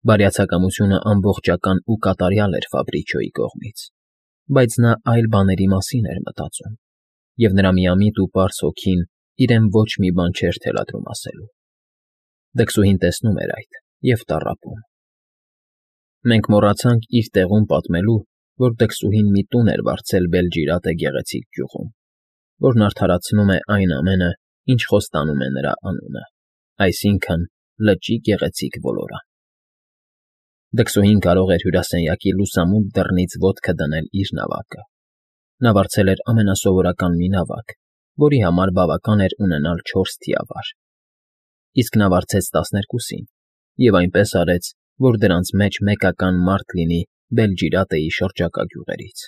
Բարյացակամությունը ամբողջական ու կատարյալ էր Ֆաբրիչոյի կողմից, բայց նա այլ բաների մասին էր մտածում, և նրա միամիտ ու պարզ հոգին իրեն ոչ մի բան չէր թելադրում ասելու։ Դքսուհին տեսնում էր այդ և տառապում։ Մենք մոռացանք իր տեղում պատմելու, որ դքսուհին մի տուն էր վարձել Բելջիրատե գեղեցիկ գյուղում, որն արդարացնում է այն ամենը, ինչ խոստանում է նրա անունը, այսինքն՝ լճի գեղեցիկ ոլորան։ Դքսուհին կարող էր հյուրասենյակի լուսամուտ դռնից ոտքը դնել իր նավակը։ Նա վարձել էր ամենասովորական մի նավակ, որի համար բավական էր ունենալ 4 թիավար։ Իսկ նա վարձեց 12-ին և այնպես արեց, որ դրանց մեջ մեկական մարդ լինի Բելջիրատեի շրջակա գյուղերից։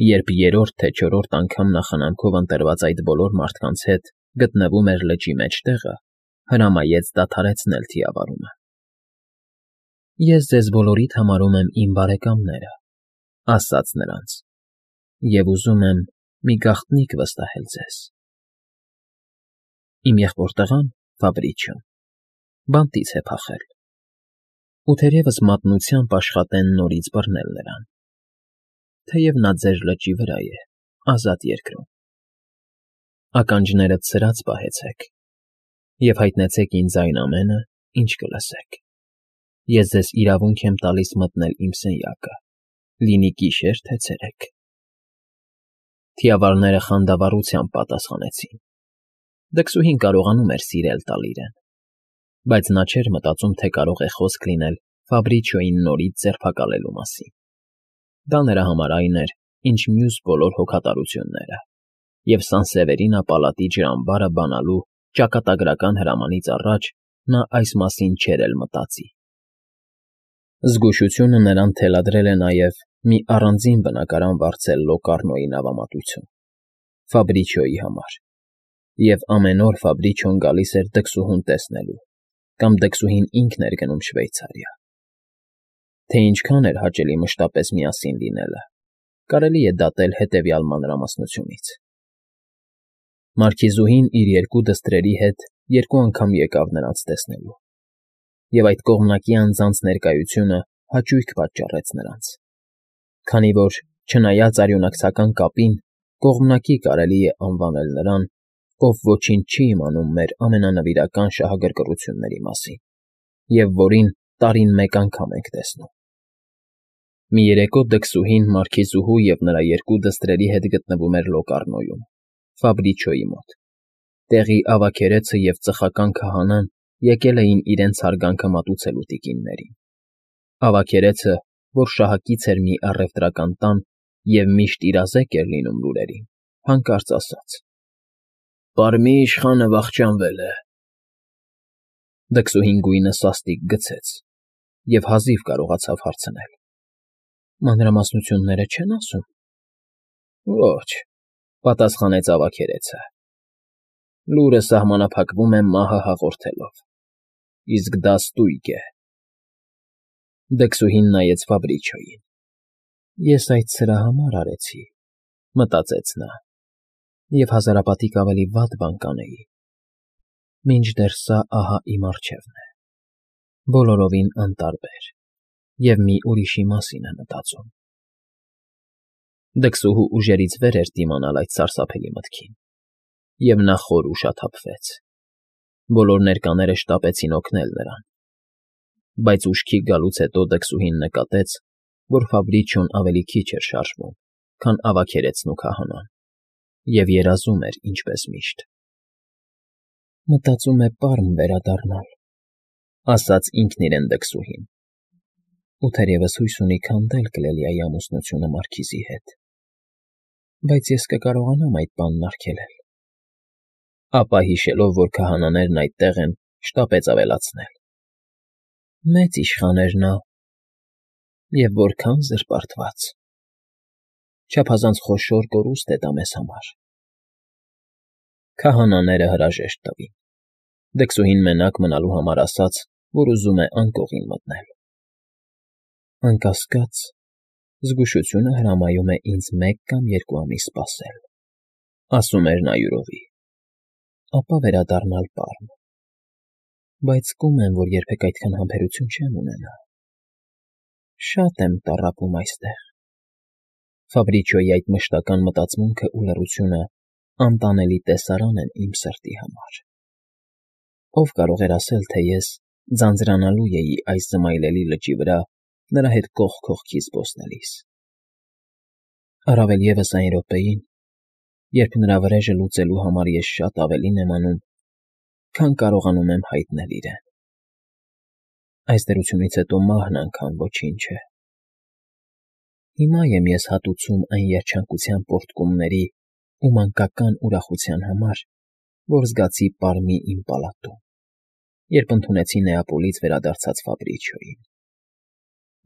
Երբ երրորդ թե չորրորդ անգամ նա խնամքով ընտրված այդ բոլոր մարդկանց հետ գտնվում էր լճի մեջտեղը, հրամայեց դադարեցնել թիավարումը։ «Ես ձեզ բոլորիդ համարում եմ իմ բարեկամները,֊ ասաց նրանց,֊ և ուզում եմ մի գաղտնիք վստահել ձեզ. իմ եղբոր տղան՝ Ֆաբրիչոն, բանտից է փախել, ու թերևս մատնությամբ աշխատեն նորից բռնել նրան, թեև նա ձեր լճի վրա է, ազատ երկրում։ Ականջներդ ցրած պահեցեք և հայտնեցեք ինձ այն ամենը, ինչ կլսեք։ Ես ձեզ իրավունք եմ տալիս մտնել իմ սենյակը, լինի գիշեր թե ցերեկ»։ Թիավարները խանդավառությամբ պատասխանեցին։ Դքսուհին կարողանում էր սիրել տալ իրեն, բայց նա չէր մտածում, թե կարող է խոսք լինել Ֆաբրիչոյին նորից ձերբակալելու մասին։ Դա նրա համար այն էր, ինչ մյուս բոլոր հոգատարությունները, և Սանսևերինա պալատի ջրամբարը բանալու ճակատագրական հրամանից առաջ նա այս մասին չէր էլ մտածի։ Զգուշությունը նրան թելադրել է նաև մի առանձին բնակարան վարձել Լոկառնոյի նավամատույցում Ֆաբրիչոյի համար, և ամեն օր Ֆաբրիչոն գալիս էր դքսուհուն տեսնելու, կամ դքսուհին ինքն էր գնում Շվեյցարիա։ Թե ինչքան էր հաճելի մշտապես միասին լինելը, կարելի է դատել հետևյալ մանրամասնությունից. Մարքիզուհին իր 2 դստրերի հետ 2 անգամ եկավ նրանց տեսնելու, և այդ կողմնակի անձանց ներկայությունը հաճույք պատճառեց նրանց, քանի որ, չնայած արյունակցական կապին, կողմնակի կարելի է անվանել նրան, ով ոչինչ չի իմանում մեր ամենանվիրական շահագրգռությունների մասին, և որին տարին մեկ անգամ ենք տեսնում։ Մի երեկո դքսուհին մարքիզուհու և նրա 2 դստրերի հետ գտնվում էր Լոկառնոյում, Ֆաբրիչոյի մոտ։ Տեղի ավագերեցը և ծխական քահանան եկել էին իրենց հարգանքը մատուցելու տիկիններին։ Ավագերեցը, որ շահակից էր մի առևտրական տան և միշտ իրազեկ էր լինում լուրերին, հանկարծ ասաց. «Պարմի իշխանը վախճանվել է»։ Դքսուհին գույնը սաստիկ գցեց և հազիվ կարողացավ հարցնել. «Մանրամասնությունները չե՞ն ասում»։ «Ոչ,֊ պատասխանեց ավագերեցը,֊ լուրը սահմանափակվում է մահը հաղորդելով, իսկ դա ստույգ է»։ Դքսուհին նայեց Ֆաբրիչոյին։ «Ես այդ սրա համար արեցի,֊ մտածեց նա,֊ և հազարապատիկ ավելի վատ բան կանեի, մինչդեռ սա ահա իմ առջևն է, բոլորովին անտարբեր և մի ուրիշի մասին է մտածում»։ Դքսուհու ուժերից վեր էր դիմանալ այդ սարսափելի մտքին, և նա խոր ուշաթափվեց։ Բոլոր ներկաները շտապեցին օգնել նրան, բայց ուշքի գալուց հետո դքսուհին նկատեց, որ Ֆաբրիչոն ավելի քիչ էր շարժվում, քան ավագերեցն ու քահանան, և երազում էր ինչպես միշտ։ «Մտածում է պարմ վերադառնալ,֊ ասաց ինքն իրեն դքսուհին,֊ ու թերևս հույս ունի քանդել Կլելիայի ամուսնությունը մարքիզի հետ, բայց ես կկարողանամ այդ բանն արգելել»։ Ապա, հիշելով, որ քահանաներն այդտեղ են, շտապեց ավելացնել. «Մեծ իշխան էր նա, և որքա՜ն զրպարտված… Չափազանց խոշոր կորուստ է դա մեզ համար»։ Քահանաները հրաժեշտ տվին։ Դքսուհին մենակ մնալու համար ասաց, որ ուզում է անկողին մտնել։ «Անկասկած, զգուշությունը հրամայում է ինձ 1 կամ 2 ամիս սպասել,֊ ասում էր նա յուրովի,֊ ապա վերադառնալ պարմ։ Բայց զգում եմ, որ երբեք այդքան համբերություն չեմ ունենա։ Շատ եմ տառապում այստեղ։ Ֆաբրիչոյի այդ մշտական մտածմունքը ու լռությունը անտանելի տեսարան են իմ սրտի համար։ Ով կարող էր ասել, թե ես ձանձրանալու էի այս զմայլելի լճի վրա նրա հետ կողք կողքի զբոսնելիս։ Առավել ևս այն րոպեին, երբ նրա վրեժը լուծելու համար ես շատ ավելին եմ անում, քան կարողանում եմ հայտնել իրեն։ Այս դրությունից հետո մահն անգամ ոչինչ է։ Հիմա եմ ես հատուցում այն երջանկության պոռթկումների ու մանկական ուրախության համար, որ զգացի պարմի իմ պալատում, երբ ընդունեցի Նեապոլից վերադարձած Ֆաբրիչոյին։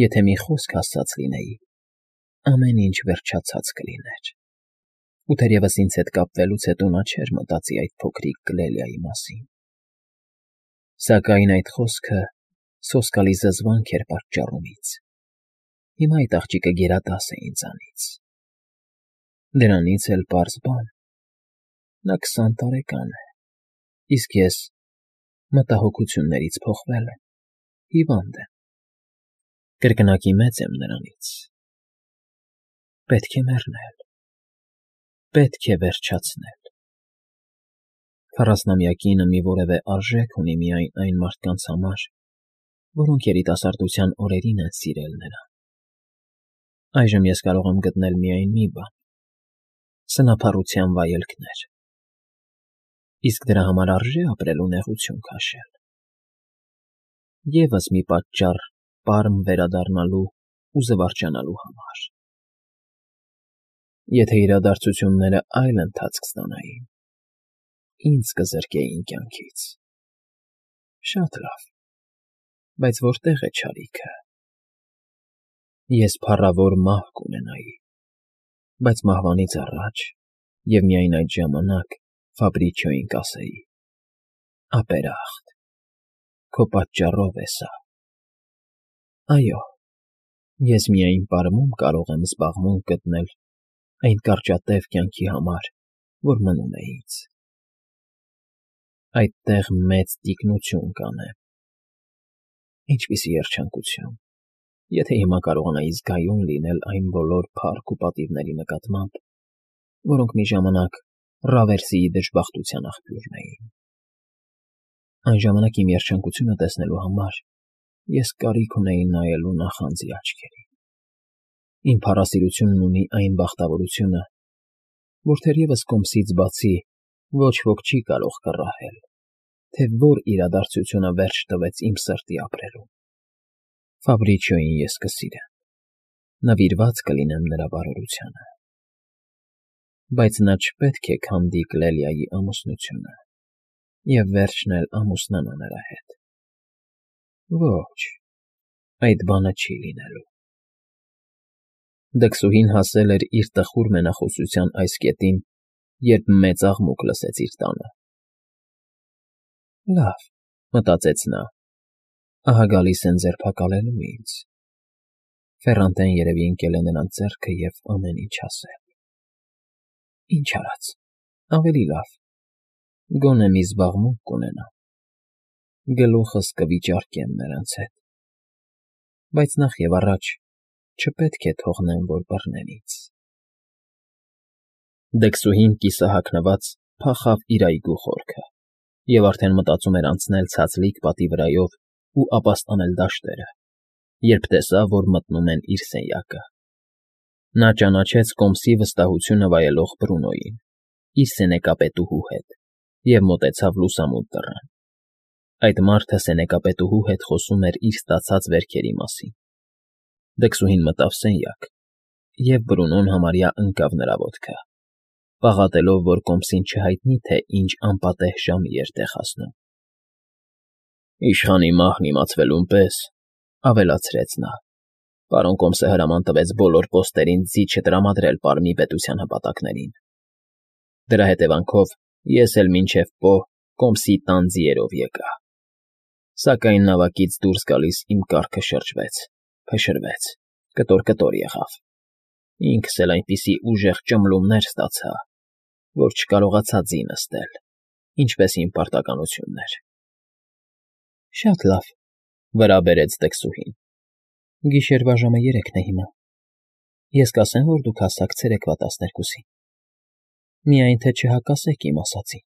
Եթե մի խոսք ասած լինեի, ամեն ինչ վերջացած կլիներ։ Ու թերևս ինձ հետ կապվելուց հետո նա չէր մտածի այդ փոքրիկ Կլելիայի մասին։ Սակայն այդ խոսքը սոսկալի զզվանք էր պատճառում ինձ։ Հիմա այդ աղջիկը գերադաս է ինձանից։ Դրանից էլ պարզ բան. նա 20 տարեկան է, իսկ ես մտահոգություններից փոխվել եմ, հիվանդ եմ, կրկնակի մեծ եմ նրանից։ Պետք է մեռնել, պետք է վերջացնել։ 40-ամյա կինը մի որևէ արժեք ունի միայն այն մարդկանց համար, որոնք երիտասարդության օրերին են սիրել նրան։ Այժմ ես կարող եմ գտնել միայն մի բան՝ սնափառության վայելքներ։ Իսկ դրա համար արժե՞ ապրել ու նեղություն քաշել։ Եվս մի պատճառ պարմ վերադառնալու ու զվարճանալու համար։ Եթե իրադարձությունները այլ ընթացք ստանային, ինձ կզրկեին կյանքից։ Շատ լավ, բայց որտե՞ղ է չարիքը։ Ես փառավոր մահ կունենայի, բայց մահվանից առաջ և միայն այդ ժամանակ Ֆաբրիչոյին կասեի. ապերախտ, քո պատճառով է սա։ Այո, ես միայն պարմում կարող եմ զբաղմունք գտնել այն կարճատև կյանքի համար, որ մնում է ինձ։ Այդտեղ մեծ տիկնություն կանեմ։ Ինչպիսի երջանկություն, եթե հիմա կարողանայի զգայուն լինել այն բոլոր փառք ու պատիվների նկատմամբ, որոնք մի ժամանակ Ռավերսիի դժբախտության աղբյուրն էին։ Այն ժամանակ իմ երջանկությունը տեսնելու համար ես կարիք ունեի նայելու նախանձի աչքերին։ Իմ փառասիրությունն ունի այն բախտավորությունը, որ թերևս կոմսից բացի ոչ ոք չի կարող կռահել, թե որ իրադարձությունը վերջ տվեց իմ սրտի ապրելուն։ Ֆաբրիչոյին ես կսիրեմ, նվիրված կլինեմ նրա բարօրությանը։ Բայց նա չպետք է քանդի Կլելիայի ամուսնությունը և վերջն էլ ամուսնանա նրա հետ։ Ոչ, այդ բանը չի լինելու։ Դքսուհին հասել էր իր տխուր մենախոսության այս կետին, երբ մեծ աղմուկ լսեց իր տանը։ Լավ, մտածեց նա, ահա գալիս են ձերբակալելու ինձ։ Ֆեռանտեն երևի ընկել է նրանց ձեռքը և ամեն ինչ ասել։ Ինչ արած, ավելի լավ, գոնե մի զբաղմունք կունենամ։ Գլուխս կվիճարկեմ նրանց հետ։ Բայց նախ և առաջ չպետք է թողնեմ, որ բռնեն ինձ։ Դքսուհին կիսահագնված փախավ իր այգու խորքը և արդեն մտածում էր անցնել ցածլիկ պատի վրայով ու ապաստանել դաշտերը, երբ տեսավ, որ մտնում են իր սենյակը։ Նա ճանաչեց կոմսի վստահությունը վայելող Բրունոյին, իր սենեկապետուհու հետ, և մոտեցավ լուսամուտ դռան։ Այդ մարդը սենեկապետուհու հետ խոսում էր իր ստացած վերքերի մասին։ Դքսուհին մտավ սենյակ, և Բրունոն համարյա ընկավ նրա ոտքը, պաղատելով, որ կոմսին չհայտնի, թե ինչ անպատեհ ժամի էր տեղ հասնում։ Իշխանի մահն իմացվելուն պես, ավելացրեց նա, պարոն կոմսը հրաման տվեց բոլոր պոստերին ձիթ չտրամադրել Պարմի պետության հպատակներին։ Դրա հետևանքով ես էլ մինչև պոհ կոմսի տան ձիերով եկա։ Սակայն նավակից դուրս գալիս իմ կառքը շրջվեց, փշրվեց, կտոր եղավ։ Ինքս էլ այնպիսի ուժեղ ճմլումներ ստացա, որ չկարողացա ձի նստել, ինչպես իմ պարտականությունն էր։ Շատ լավ,֊ վրա բերեց դքսուհին։ Գիշերվա ժամը 3-ն է հիմա։ Ես կասեմ, որ դուք հասաք ցերեկվա 12-ին։ Միայն թե չհակասեք իմ ասածին։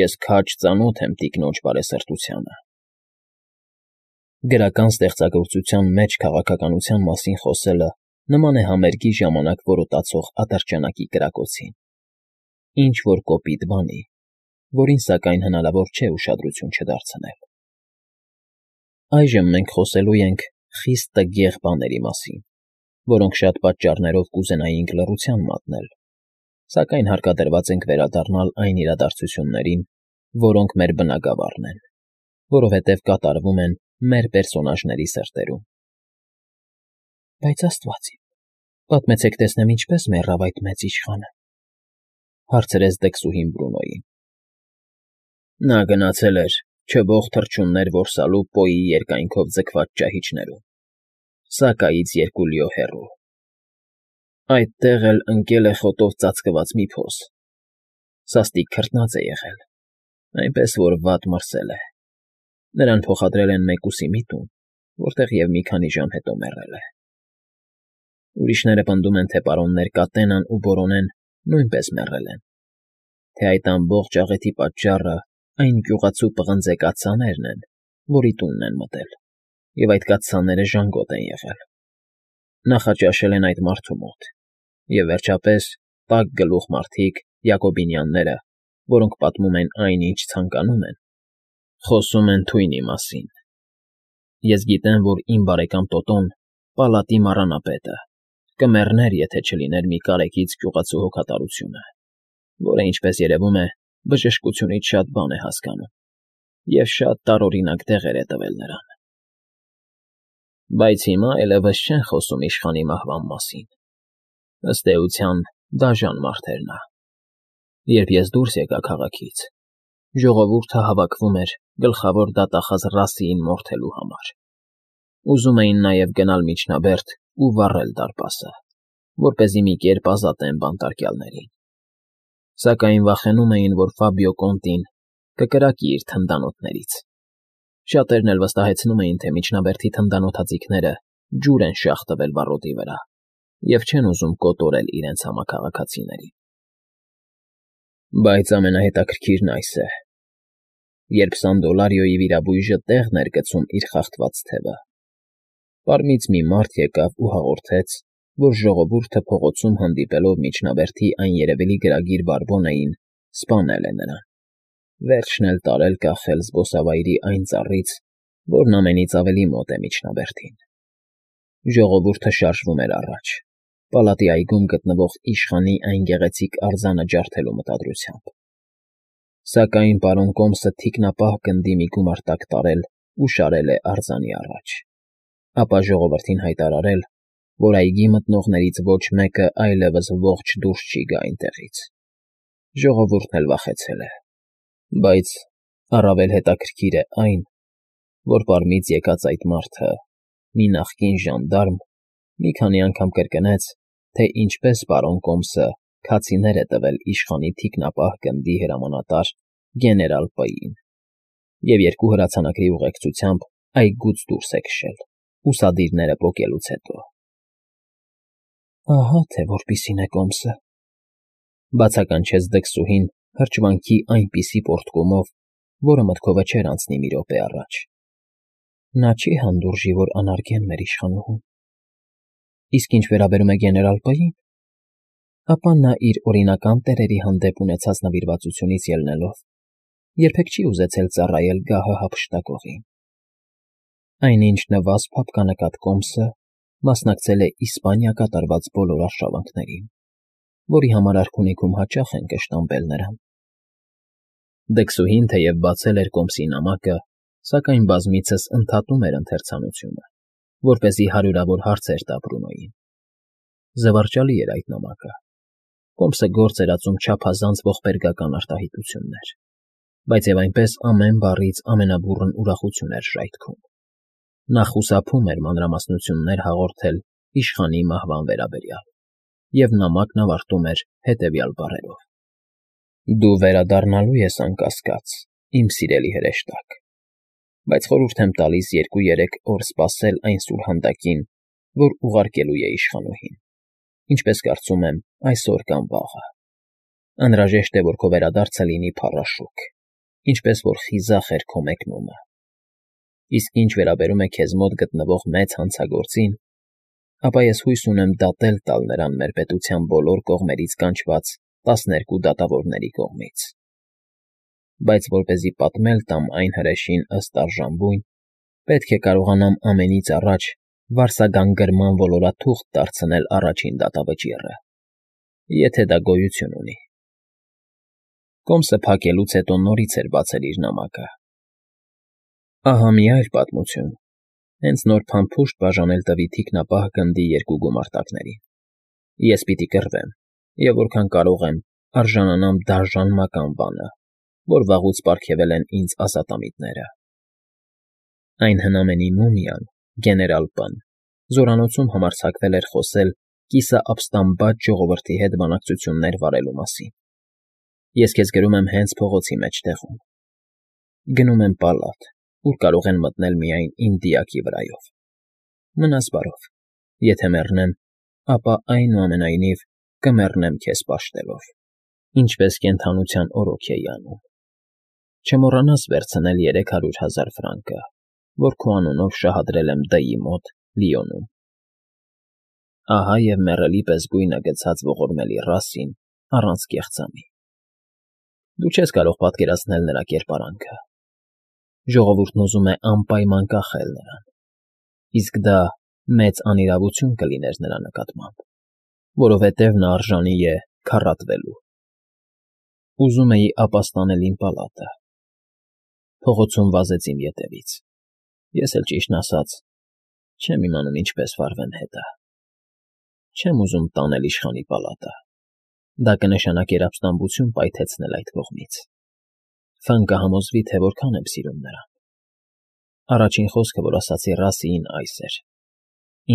Ես քաջ ծանոթ եմ տիկնոջ բարեսրտությանը։ Գրական ստեղծագործության մեջ քաղաքականության մասին խոսելը նման է համերգի ժամանակ որոտացող ատրճանակի կրակոցին։ Ինչ-որ կոպիտ բանի, որին սակայն հնարավոր չէ ուշադրություն չդարձնել։ Այժմ մենք խոսելու ենք խիստ տգեղ բաների մասին, որոնք շատ պատճառներով կուզենայինք լռության մատնել, սակայն հարկադրված ենք վերադառնալ այն իրադարձություններին, որոնք մեր բնագավառն են, որովհետև կատարվում են մեր պերսոնաժների սրտերում։ Բայց Աստված իմ, պատմեցեք տեսնեմ ինչպես մեռավ այդ մեծ իշխանը,֊ հարցրեց դքսուհին Բրունոյին։ Նա գնացել էր չբող թռչուններ որսալու Պոյի երկայնքով ձգված ճահիճներում, Սակայից 2 լիո հեռու։ Այդտեղ էլ ընկել է խոտով ծածկված մի փոս, սաստիկ քրտնած է եղել, այնպես որ վատ մրսել է։ Նրան փոխադրել են մեկուսի մի տուն, որտեղ և մի քանի ժամ հետո մեռել է։ Ուրիշները պնդում են, թե պարոններ Կատենան ու Բորոնեն նույնպես մեռել են, թե այդ ամբողջ աղեթի պատճառը այն գյուղացու պղնձե կաթսաներն են, որի տունն են մտել, և այդ կաթսաները ժանգոտ են եղել։ Նախաճաշել են այդ մարդու մոտ, և վերջապես տաք գլուխ մարդիկ, Յակոբինյանները, որոնք պատմում են այն, ինչ ցանկանում են, խոսում են թույնի մասին։ Ես գիտեմ, որ իմ բարեկամ Տոտոն, պալատի մառանապետը, կմեռներ, եթե չլիներ մի կարեկից գյուղացու հոգատարությունը, որը, ինչպես երևում է, բժշկությունից շատ բան է հասկանում, և շատ տարօրինակ դեղեր է տվել նրան։ Բայց հիմա այլևս չեն խոսում իշխանի մահվան մասին։ Ըստ էության, դաժան մարդ էր նա։ Երբ ես դուրս եկա քաղաքից, ժողովուրդը հավաքվում էր գլխավոր դատախազ Ռասիին մորթելու համար։ Ուզում էին նաև գնալ միջնաբերդ ու վառել դարպասը, որպեսզի մի կերպ ազատեն բանտարկյալներին։ Սակայն վախենում էին, որ Ֆաբիո Կոնտին կկրակի իր թնդանոթներից։ Շատերն էլ վստահեցնում էին, թե միջնաբերդի թնդանոթաձիգները ջուր են շաղ տվել վառոդի վրա և չեն ուզում կոտորել իրենց համաքաղաքացիներին։ Բայց ամենահետաքրքիրն այս է. երբ Սանդոլարիոյի վիրաբույժը տեղն էր գցում իր խախտված թևը, Պարմից մի մարդ եկավ ու հաղորդեց, որ ժողովուրդը փողոցում հանդիպելով միջնաբերդի այն երևելի գրագիր Բարբոնային սպանել է նրան, վերջն էլ տարել կախել զբոսավայրի այն ծառից, որն ամենից ավելի մոտ է միջնաբերդին։ Ժողովուրդը շարժվում էր առաջ, պալատի այգում գտնվող իշխանի այն գեղեցիկ արձանը ջարդելու մտադրությամբ։ Սակայն պարոն Կոմսը թիկնապահ գնդի մի գումարտակ տարել ու շարել է արձանի առաջ, ապա ժողովրդին հայտարարել, որ այգի մտնողներից ոչ մեկը այլևս ողջ դուրս չի գա այնտեղից։ Ժողովուրդն էլ վախեցել է, բայց առավել հետաքրքիր է այն, որ Պարմից եկած այդ մարդը, մի նախկին ժանդարմ, մի քանի անգամ կրկնեց, թե ինչպես պարոն Կոմսը քացիներ է տվել իշխանի թիկնապահ գնդի հրամանատար գեներալ Պ֊ին և 2 հրացանակի ուղեկցությամբ այգուց դուրս է քշել, ուսադիրները պոկելուց հետո։ Ահա թե որպիսին է Կոմսը,֊ բացականչեց դքսուհին հրճվանքի այնպիսի պոռթկումով, որը մտքովը չէր անցնի մի րոպե առաջ։ Նա չի հանդուրժի, որ անարգեն մեր իշխանուհուն։ Իսկ ինչ վերաբերում է գեներալ Պ-ին, ապա նա իր օրինական տերերի հանդեպ ունեցած նվիրվածությունից ելնելով երբեք չի ուզեցել ծառայել գահը հափշտակողին։ Այնինչ նվազ փափկանկատ Կոմսը մասնակցել է Իսպանիա կատարված բոլոր արշավանքներին, որի համար արքունիքում հաճախ են կշտամբել նրան։ Դքսուհին թեև բացել էր Կոմսի նամակը, սակայն բազմիցս ընդհատում էր ընթերցանությունը, որպեսզի հարյուրավոր հարցեր տա Բրունոյին։ Զվարճալի էր այդ նամակը։ Կոմսը գործ էր ածում չափազանց ողբերգական արտահայտություններ, բայց և այնպես ամեն բառից ամենաբուռն ուրախություն էր ժայթքում։ Նա խուսափում էր մանրամասնություններ հաղորդել իշխանի մահվան վերաբերյալ, և նամակն ավարտում էր հետևյալ բառերով. Դու վերադառնալու ես անկասկած, իմ սիրելի հրեշտակ, բայց խորհուրդ եմ տալիս 2-3 օր սպասել այն սուրհանդակին, որ ուղարկելու է իշխանուհին, ինչպես կարծում եմ այսօր կամ վաղը։ Անհրաժեշտ է, որ քո վերադարձը լինի փառաշուք, ինչպես որ խիզախ էր քո մեկնումը։ Իսկ ինչ վերաբերում է քեզ մոտ գտնվող մեծ հանցագործին, ապա ես հույս ունեմ դատել տալ նրան մեր պետության բոլոր կողմերից կանչված 12 դատավորների կողմից։ Բայց որպեսզի պատմել տամ այն հրեշին ըստ արժանվույն, պետք է կարողանամ ամենից առաջ վարսագանգրման ոլորաթուղթ դարձնել առաջին դատավճիռը, եթե դա գոյություն ունի։ Կոմսը փակելուց հետո նորից էր բացել իր նամակը։ Ահա մի այլ պատմություն. հենց նոր փամփուշտ բաժանել տվի թիկնապահ գնդի 2 գումարտակներին։ Ես պիտի կռվեմ, և որքան կարող եմ, արժանանամ դաժան մական բանը, որ վաղուց պարգևել են ինձ ազատամիտները։ Այն հնամենի մումիան, գեներալ Պ֊ն, զորանոցում համարձակվել էր խոսել կիսաաբստամբատ ժողովրդի հետ բանակցություններ վարելու մասին։ Ես քեզ գրում եմ հենց փողոցի մեջտեղում։ Գնում եմ պալատ, ուր կարող են մտնել միայն իմ դիակի վրայով։ Մնաս բարով, եթե մեռնեմ, ապա այնուամենայնիվ կմեռնեմ քեզ պաշտելով, ինչպես կենդանության օրոք էի անում։ Չմոռանաս վերցնել 300,000 ֆրանկը, որ քո անունով շահադրել եմ D-ի մոտ Լիոնում։ Ահա և մեռելի պես գույնը գցած ողորմելի ռասին առանց կեղծամի։ Դու չես կարող պատկերացնել նրա կերպարանքը։ Ժողովուրդն ուզում է անպայման կախել նրան, իսկ դա մեծ անիրավություն կլիներ նրա նկատմամբ, որովհետև նա արժանի է քառատվելու։ Ուզում էի ապաստանել իմ պալատը։ Փողոցում վազեց իմ ետևից։ Ես էլ ճիշտն ասած, չեմ իմանում ինչպես վարվեմ հետը։ Չեմ ուզում տանել իշխանի պալատը։ Դա կնշանակեր ապստամբություն պայթեցնել այդ կողմից։ Ֆ֊ն կհամոզվի, թե որքան եմ սիրում նրան։ Առաջին խոսքը, որ ասացի Ռասիին, այս էր.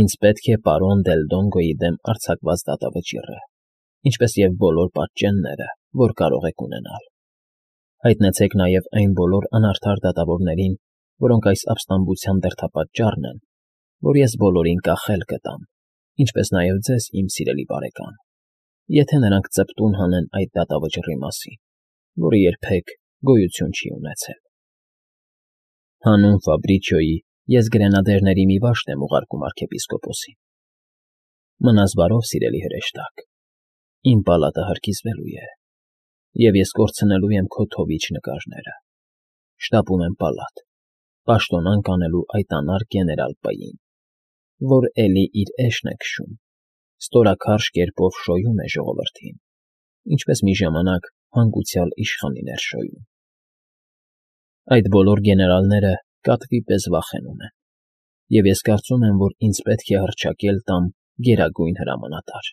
ինձ պետք է պարոն Դելդոնգոյի դեմ արձակված դատավճիռը, ինչպես և բոլոր պատճենները, որ կարող եք ունենալ։ Հայտնեցեք նաև այն բոլոր անարդար դատավորներին, որոնք այս ապստամբության դերդապատճառն են, որ ես բոլորին կախել կտամ, ինչպես նաև ձեզ, իմ սիրելի բարեկամ, եթե նրանք ծպտուն հանեն այդ դատավճռի մասին, որը երբեք գոյություն չի ունեցել։ Հանուն Ֆաբրիչիոյի ես գրենադերների մի վաշտ եմ ուղարկում arczepiskopos-ին։ Մնաս բարով, սիրելի հրեշտակ, իմ պալատը հրկիզվելու է, և ես կորցնելու եմ քո թովիչ նկարները։ Շտապում եմ պալատ, պաշտոնանկ անելու այդ անառ գեներալ Պ-ին, որ էլի իր էշն է քշում, ստորաքարշ կերպով շոյում է ժողովրդին, ինչպես մի ժամանակ հանգուցյալ իշխանին էր շոյում։ Այդ բոլոր գեներալները կատվի պես վախենում են, և ես կարծում եմ, որ ինձ պետք է հռչակել տամ Գերագույն Հրամանատար։